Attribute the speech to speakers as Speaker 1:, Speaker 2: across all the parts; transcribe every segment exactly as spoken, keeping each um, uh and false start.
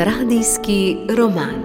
Speaker 1: Radijski roman.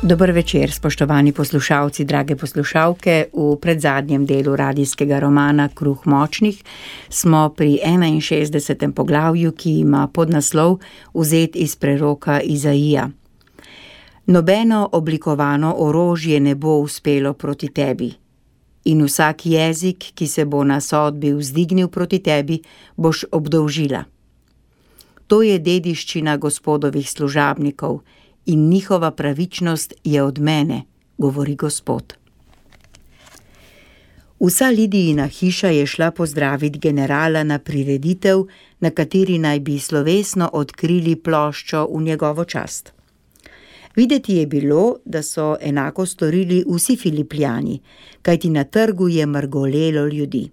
Speaker 2: Dober večer, spoštovani poslušalci, drage poslušalke. V predzadnjem delu radijskega romana Kruh močnih smo pri enainšestdesetem poglavju, ki ima podnaslov vzet iz preroka Izaija. Nobeno oblikovano orožje ne bo uspelo proti tebi, in vsak jezik, ki se bo na sodbi vzdignil proti tebi, boš obdolžila. To je dediščina Gospodovih služabnikov, in njihova pravičnost je od mene, govori Gospod. Vsa Lidijina hiša je šla pozdraviti generala na prireditev, na kateri naj bi slovesno odkrili ploščo v njegovo čast. Videti je bilo, da so enako storili vsi Filipljani, kajti na trgu je mrgolelo ljudi.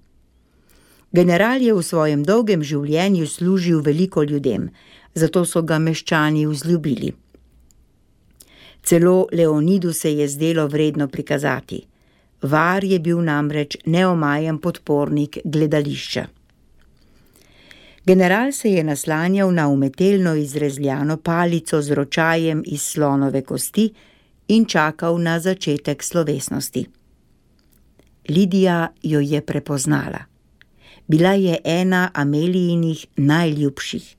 Speaker 2: General je v svojem dolgem življenju služil veliko ljudem, zato so ga meščani vzljubili. Celo Leonidu se je zdelo vredno prikazati. Var je bil namreč neomajen podpornik gledališča. General se je naslanjal na umetelno izrezljano palico z ročajem iz slonove kosti in čakal na začetek slovesnosti. Lidija jo je prepoznala. Bila je ena Amelijinih najljubših.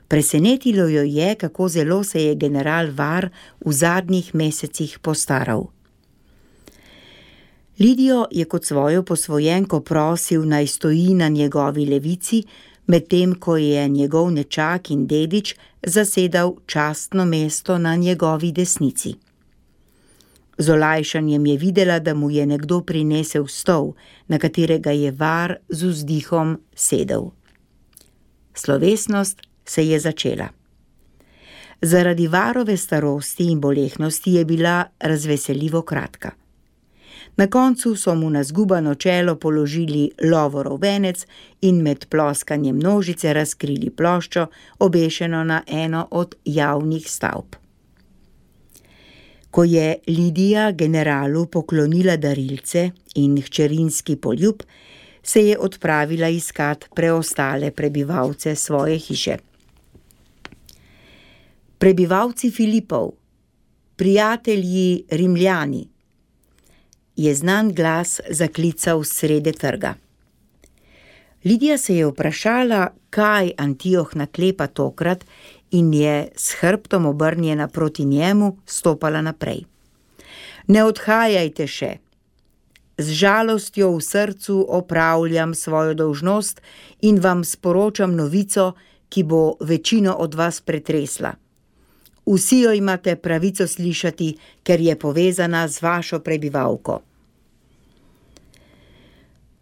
Speaker 2: Presenetilo jo je, kako zelo se je general Var v zadnjih mesecih postaral. Lidijo je kot svojo posvojenko prosil, naj stoji na njegovi levici, medtem ko je njegov nečak in dedič zasedal častno mesto na njegovi desnici. Z olajšanjem je videla, da mu je nekdo prinesel stol, na katerega je Var z vzdihom sedel. Slovesnost se je začela. Zaradi Varove starosti in bolehnosti je bila razveseljivo kratka. Na koncu so mu na zgubano čelo položili lovorov venec in med ploskanjem nožice razkrili ploščo, obešeno na eno od javnih stavb. Ko je Lidija generalu poklonila darilce in hčerinski poljub, se je odpravila iskat preostale prebivalce svoje hiše. Prebivalci Filipov, prijatelji Rimljani, je znan glas zaklical srede trga. Lidija se je vprašala, kaj Antioh naklepa tokrat, in je s hrbtom obrnjena proti njemu stopala naprej. Ne odhajajte še. Z žalostjo v srcu opravljam svojo dolžnost in vam sporočam novico, ki bo večino od vas pretresla. Vsi jo imate pravico slišati, ker je povezana z vašo prebivalko.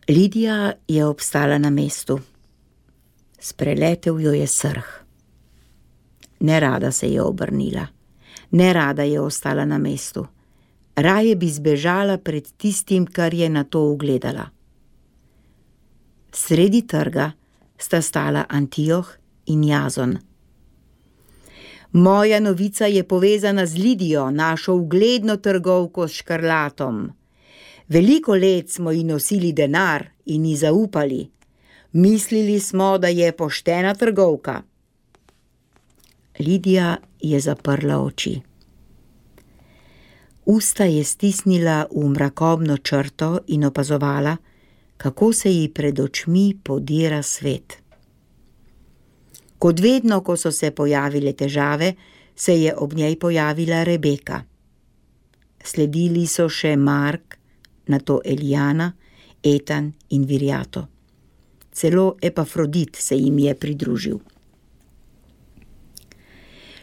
Speaker 2: Lidija je obstala na mestu. Spreletel jo je srh. Nerada se je obrnila. Nerada je ostala na mestu. Raje bi zbežala pred tistim, kar je na to ugledala. Sredi trga sta stala Antioh in Jazon. Moja novica je povezana z Lidijo, našo ugledno trgovko s škrlatom. Veliko let smo ji nosili denar in ji zaupali. Mislili smo, da je poštena trgovka. Lidija je zaprla oči. Usta je stisnila v mrakobno črto in opazovala, kako se ji pred očmi podira svet. Kot vedno, ko so se pojavile težave, se je ob njej pojavila Rebeka. Sledili so še Mark, nato Elijana, Etan in Virjato. Celo Epafrodit se jim je pridružil.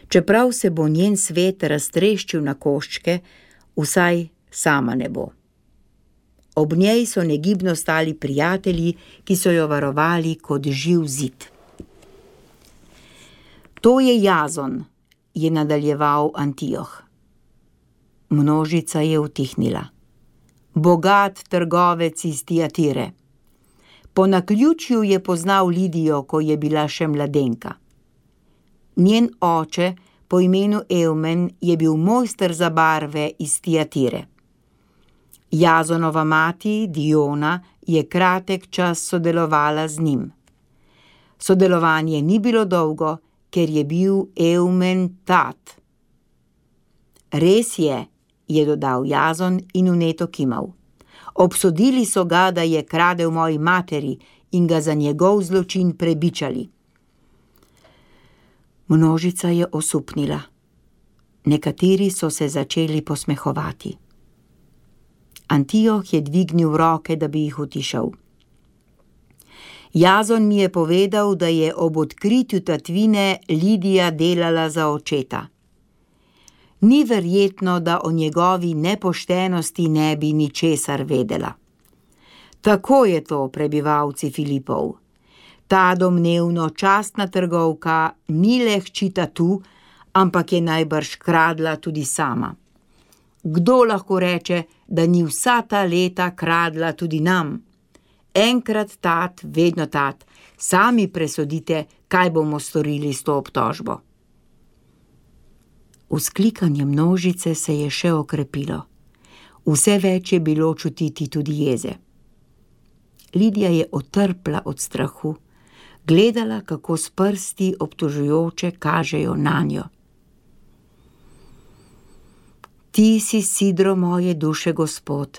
Speaker 2: Čeprav se bo njen svet raztreščil na koščke, vsaj sama ne bo. Ob njej so negibno stali prijatelji, ki so jo varovali kot živ zid. To je Jazon, je nadaljeval Antioh. Množica je utihnila. Bogat trgovec iz Tiatire. Po naključju je poznal Lidijo, ko je bila še mladenka. Njen oče po imenu Eumen je bil mojster za barve iz Tiatire. Jazonova mati, Diona, je kratek čas sodelovala z njim. Sodelovanje ni bilo dolgo, ker je bil Eumen tat. Res je, je dodal Jazon in vneto kimal. Obsodili so ga, da je kradel moji materi in ga za njegov zločin prebičali. Množica je osupnila. Nekateri so se začeli posmehovati. Antioh je dvignil roke, da bi jih utišal. Jazon mi je povedal, da je ob odkritju tatvine Lidija delala za očeta. Ni verjetno, da o njegovi nepoštenosti ne bi ničesar vedela. Tako je to, prebivalci Filipov. Ta domnevno častna trgovka ni le hči tatu, ampak je najbrž kradla tudi sama. Kdo lahko reče, da ni vsa ta leta kradla tudi nam? Enkrat tat, vedno tat. Sami presodite, kaj bomo storili s to obtožbo. Vzklikanje množice se je še okrepilo. Vse več je bilo čutiti tudi jeze. Lidija je otrpla od strahu, gledala, kako s prsti obtožujoče kažejo nanjo. Ti si sidro moje duše, Gospod.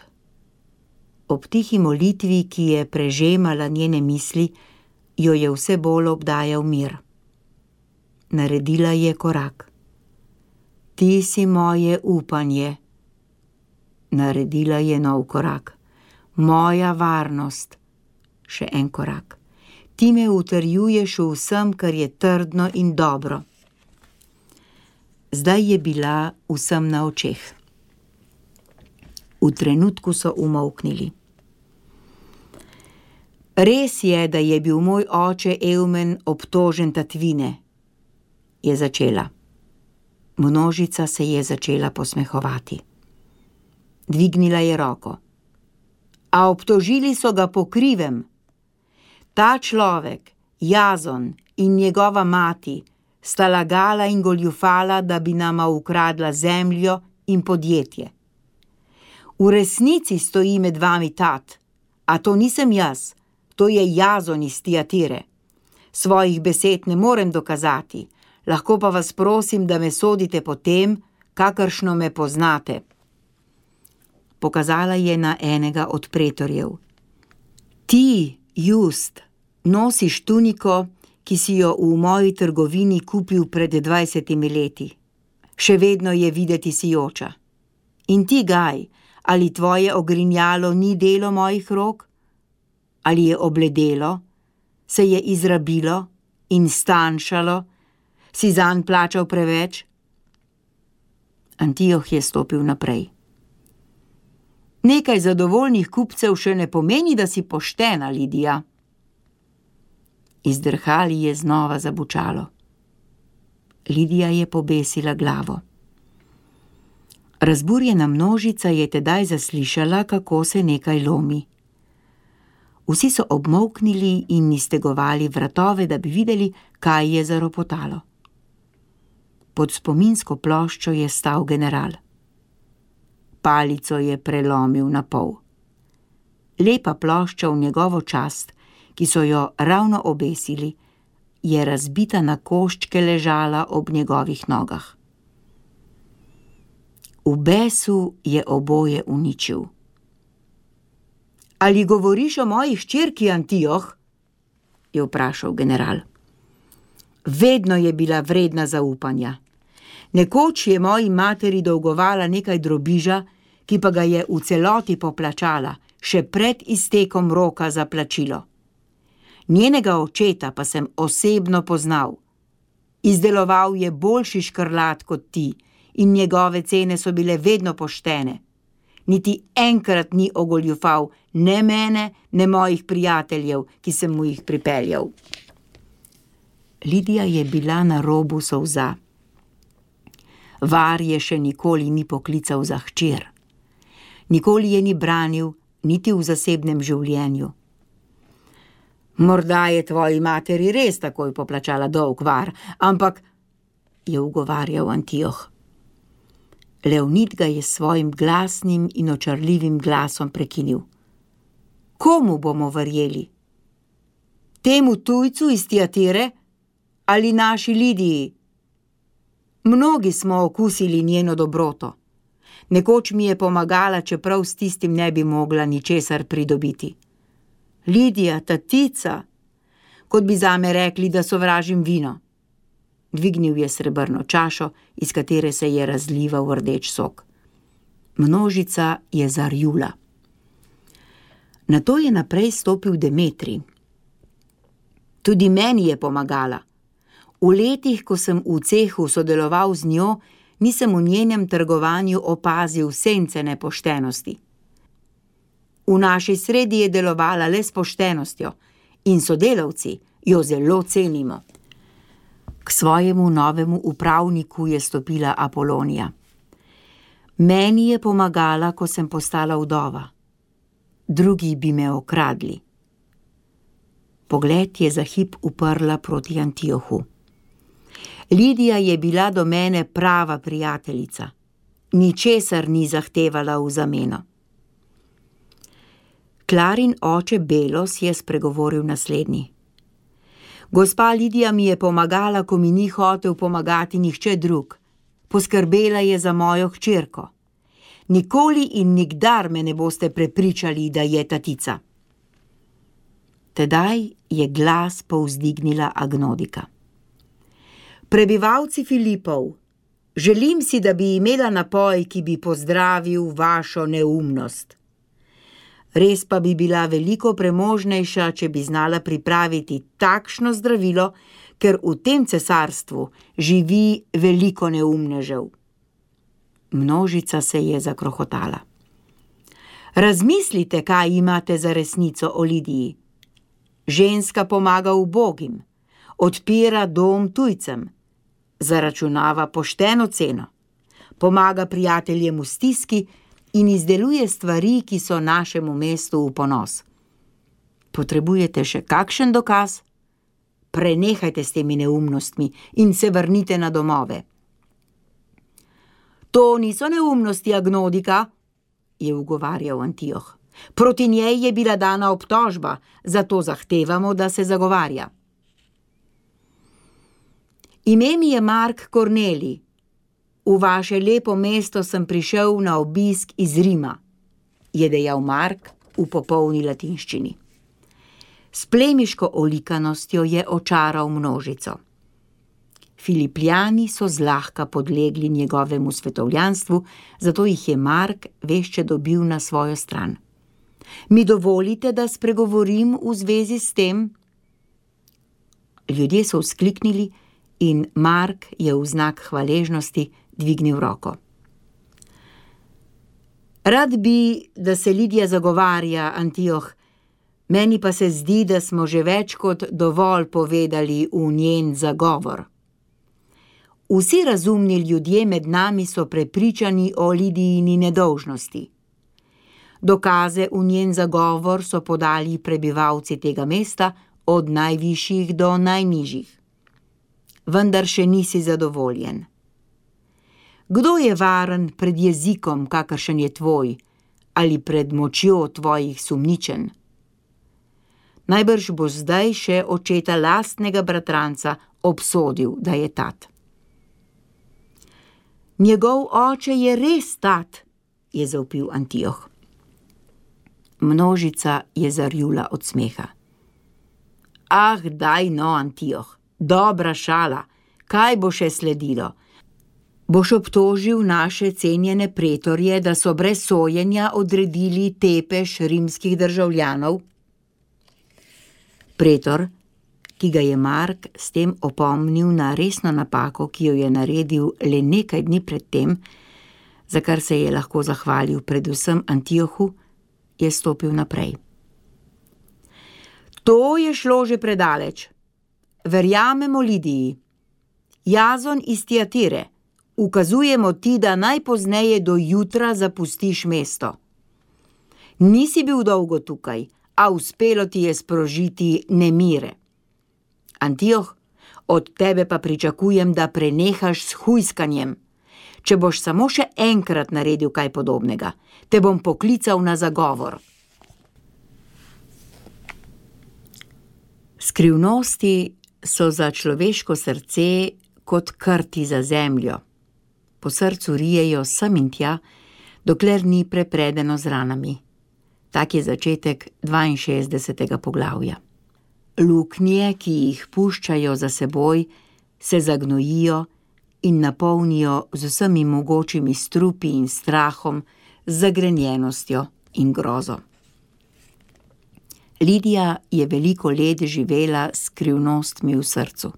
Speaker 2: Ob tihi molitvi, ki je prežemala njene misli, jo je vse bolj obdajal mir. Naredila je korak. Ti si moje upanje. Naredila je nov korak. Moja varnost. Še en korak. Ti me utrjuješ v vsem, kar je trdno in dobro. Zdaj je bila vsem na očeh. V trenutku so umolknili. Res je, da je bil moj oče Eumen obtožen tatvine, je začela. Množica se je začela posmehovati. Dvignila je roko. A obtožili so ga po krivem. Ta človek, Jazon in njegova mati, sta lagala in goljufala, da bi nama ukradla zemljo in podjetje. V resnici stoji med vami tat, a to nisem jaz, to je Jazon iz Tiatire. Svojih besed ne morem dokazati, lahko pa vas prosim, da me sodite po tem, kakršno me poznate. Pokazala je na enega od pretorjev. Ti, Just, nosiš tuniko, ki si jo v moji trgovini kupil pred dvajsetimi leti. Še vedno je videti sijoča. In ti, Gaj, ali tvoje ogrinjalo ni delo mojih rok? Ali je obledelo, se je izrabilo in stanjšalo, si zanj plačal preveč? Antioh je stopil naprej. Nekaj zadovoljnih kupcev še ne pomeni, da si poštena, Lidija. Iz drhali je znova zabučalo. Lidija je pobesila glavo. Razburjena množica je tedaj zaslišala, kako se nekaj lomi. Vsi so obmolknili in iztegovali vratove, da bi videli, kaj je zaropotalo. Pod spominsko ploščo je stal general. Palico je prelomil na pol. Lepa plošča v njegovo čast, ki so jo ravno obesili, je razbita na koščke ležala ob njegovih nogah. V besu je oboje uničil. Ali govoriš o moji hčerki, Antioh? Je vprašal general. Vedno je bila vredna zaupanja. Nekoč je moji materi dolgovala nekaj drobiža, ki pa ga je v celoti poplačala, še pred iztekom roka za plačilo. Njenega očeta pa sem osebno poznal. Izdeloval je boljši škrlat kot ti in njegove cene so bile vedno poštene. Niti enkrat ni ogoljufal ne mene, ne mojih prijateljev, ki sem mu jih pripeljal. Lidija je bila na robu solza. Var je še nikoli ni poklical za hčer. Nikoli je ni branil, niti v zasebnem življenju. Morda je tvoji materi res takoj poplačala dolg, Var, ampak, je ugovarjal Antioh. Leonid ga je s svojim glasnim in očarljivim glasom prekinil. Komu bomo verjeli? Temu tujcu iz Tiatire ali naši Lidiji? Mnogi smo okusili njeno dobroto. Nekoč mi je pomagala, čeprav s tistim ne bi mogla ničesar pridobiti. Lidija, tatica, kot bi zame rekli, da sovražim vino. Dvignil je srebrno čašo, iz katere se je razlival rdeč sok. Množica je zarjula. Nato je naprej stopil Demetrij. Tudi meni je pomagala. V letih, ko sem v cehu sodeloval z njo, nisem v njenem trgovanju opazil sence nepoštenosti. V naši sredi je delovala le s poštenostjo in sodelavci jo zelo cenimo. K svojemu novemu upravniku je stopila Apolonija. Meni je pomagala, ko sem postala vdova. Drugi bi me okradli. Pogled je za hip uprla proti Antiohu. Lidija je bila do mene prava prijateljica. Ničesar ni zahtevala v zameno. Klarin oče Belos je spregovoril naslednji. Gospa Lidija mi je pomagala, ko mi ni hotel pomagati nihče drug. Poskrbela je za mojo hčerko. Nikoli in nikdar me ne boste prepričali, da je tatica. Tedaj je glas povzdignila Agnodika. Prebivalci Filipov, želim si, da bi imela napoj, ki bi pozdravil vašo neumnost. Res pa bi bila veliko premožnejša, če bi znala pripraviti takšno zdravilo, ker v tem cesarstvu živi veliko neumnežev. Množica se je zakrohotala. Razmislite, kaj imate za resnico o Lidiji. Ženska pomaga ubogim, odpira dom tujcem, zaračunava pošteno ceno, pomaga prijateljem v stiski in izdeluje stvari, ki so našemu mestu v ponos. Potrebujete še kakšen dokaz? Prenehajte s temi neumnostmi in se vrnite na domove. To niso neumnosti, Agnodika, je ugovarjal Antioh. Proti njej je bila dana obtožba, zato zahtevamo, da se zagovarja. Ime mi je Mark Kornelij. V vaše lepo mesto sem prišel na obisk iz Rima, je dejal Mark v popolni latinščini. S plemiško olikanostjo je očaral množico. Filipljani so zlahka podlegli njegovemu svetovljanstvu, zato jih je Mark vešče dobil na svojo stran. Mi dovolite, da spregovorim v zvezi s tem? Ljudje so vzkliknili in Mark je v znak hvaležnosti dvignil roko. Rad bi, da se Lidija zagovarja, Antioh, meni pa se zdi, da smo že več kot dovolj povedali v njen zagovor. Vsi razumni ljudje med nami so prepričani o Lidijini nedolžnosti. Dokaze v njen zagovor so podali prebivalci tega mesta od najvišjih do najnižjih. Vendar še nisi zadovoljen. Kdo je varen pred jezikom, kakršen je tvoj, ali pred močjo tvojih sumničen? Najbrž bo zdaj še očeta lastnega bratranca obsodil, da je tat. Njegov oče je res tat, je zavpil Antioh. Množica je zarjula od smeha. Ah, daj no, Antioh, dobra šala, kaj bo še sledilo? Boš obtožil naše cenjene pretorje, da so brez sojenja odredili tepež rimskih državljanov? Pretor, ki ga je Mark s tem opomnil na resno napako, ki jo je naredil le nekaj dni pred tem, za kar se je lahko zahvalil predvsem Antiohu, je stopil naprej. To je šlo že predaleč. Verjamemo Lidiji. Jazon iz Tiatire, ukazujemo ti, da najpozneje do jutra zapustiš mesto. Nisi bil dolgo tukaj, a uspelo ti je sprožiti nemire. Antioh, od tebe pa pričakujem, da prenehaš s hujskanjem. Če boš samo še enkrat naredil kaj podobnega, te bom poklical na zagovor. Skrivnosti so za človeško srce kot krti za zemljo. Po srcu rijejo sem in tja, dokler ni prepredeno z ranami. Tak je začetek dvainšestdesetega poglavja. Luknje, ki jih puščajo za seboj, se zagnojijo in napolnijo z vsemi mogočimi strupi in strahom, z zagrenjenostjo in grozo. Lidija je veliko let živela s skrivnostmi v srcu.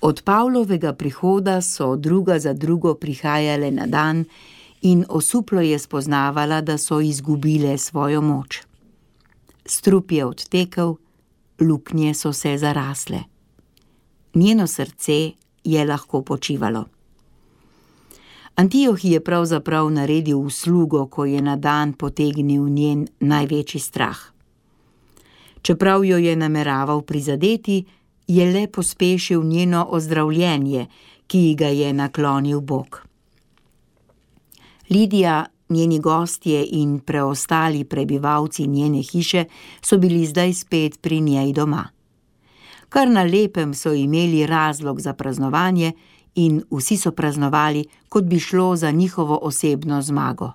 Speaker 2: Od Pavlovega prihoda so druga za drugo prihajale na dan in osuplo je spoznavala, da so izgubile svojo moč. Strup je odtekel, luknje so se zarasle. Njeno srce je lahko počivalo. Antioh je pravzaprav naredil uslugo, ko je na dan potegnil njen največji strah. Čeprav jo je nameraval prizadeti, je le pospešil njeno ozdravljenje, ki ga je naklonil Bog. Lidija, njeni gostje in preostali prebivalci njene hiše so bili zdaj spet pri njej doma. Kar na lepem so imeli razlog za praznovanje in vsi so praznovali, kot bi šlo za njihovo osebno zmago.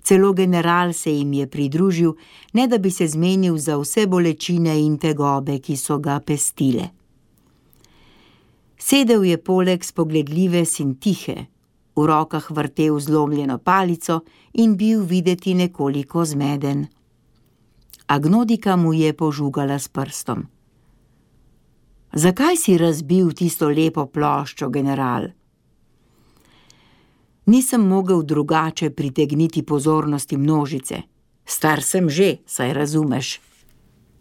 Speaker 2: Celo general se jim je pridružil, ne da bi se zmenil za vse bolečine in tegobe, ki so ga pestile. Sedel je poleg spogledljive Sintihe, v rokah vrtel zlomljeno palico in bil videti nekoliko zmeden. Agnodika mu je požugala s prstom. Zakaj si razbil tisto lepo ploščo, general? Nisem mogel drugače pritegniti pozornosti množice. Star sem že, saj razumeš.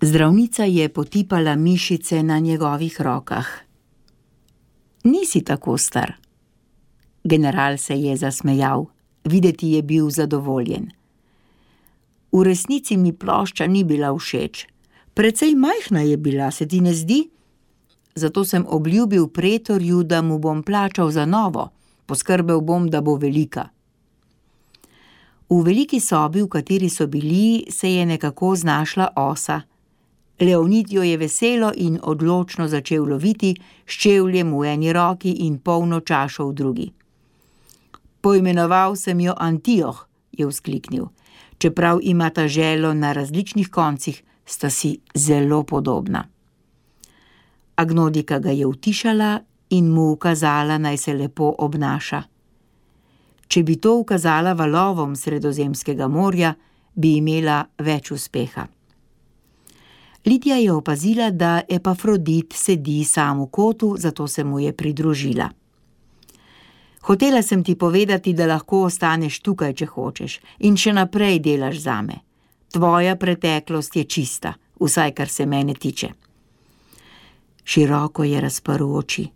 Speaker 2: Zdravnica je potipala mišice na njegovih rokah. Nisi tako star. General se je zasmejal, videti je bil zadovoljen. V resnici mi plošča ni bila všeč. Precej majhna je bila, se ti ne zdi? Zato sem obljubil pretorju, da mu bom plačal za novo. Poskrbel bom, da bo velika. V veliki sobi, v kateri so bili, se je nekako znašla osa. Leonid jo je veselo in odločno začel loviti, s čevljem v eni roki in polno čašo v drugi. Poimenoval sem jo Antioh, je vzkliknil. Čeprav imata želo na različnih koncih, sta si zelo podobna. Agnodika ga je utišala in mu ukazala, naj se lepo obnaša. Če bi to ukazala valovom Sredozemskega morja, bi imela več uspeha. Lidija je opazila, da Epafrodit sedi sam v kotu, zato se mu je pridružila. Hotela sem ti povedati, da lahko ostaneš tukaj, če hočeš, in še naprej delaš zame. Tvoja preteklost je čista, vsaj kar se mene tiče. Široko je razprl oči.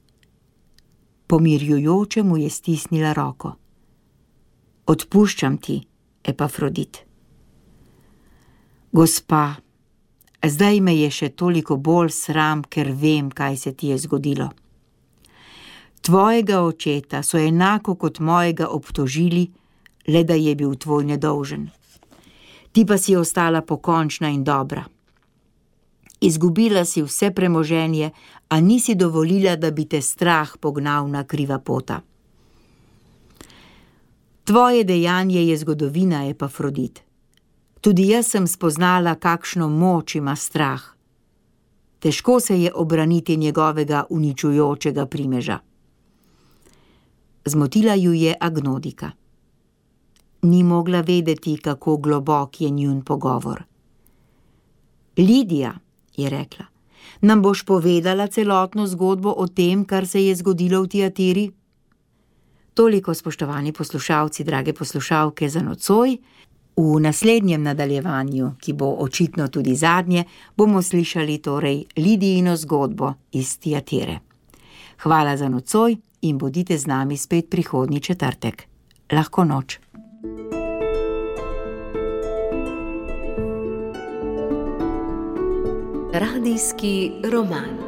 Speaker 2: Pomirjujoče mu je stisnila roko. Odpuščam ti, Epafrodit. Gospa, zdaj me je še toliko bolj sram, ker vem, kaj se ti je zgodilo. Tvojega očeta so enako kot mojega obtožili, le da je bil tvoj nedolžen. Ti pa si ostala pokončna in dobra. Izgubila si vse premoženje, a nisi dovolila, da bi te strah pognal na kriva pota. Tvoje dejanje je zgodovina, Epafrodit. Tudi jaz sem spoznala, kakšno moč ima strah. Težko se je obraniti njegovega uničujočega primeža. Zmotila ju je Agnodika. Ni mogla vedeti, kako globok je njun pogovor. Lidija, je rekla, nam boš povedala celotno zgodbo o tem, kar se je zgodilo v Tiatiri? Toliko, spoštovani poslušalci, drage poslušalke, za nocoj. V naslednjem nadaljevanju, ki bo očitno tudi zadnje, bomo slišali torej Lidijino zgodbo iz Tiatire. Hvala za nocoj in bodite z nami spet prihodnji četrtek. Lahko noč.
Speaker 1: Radijski roman.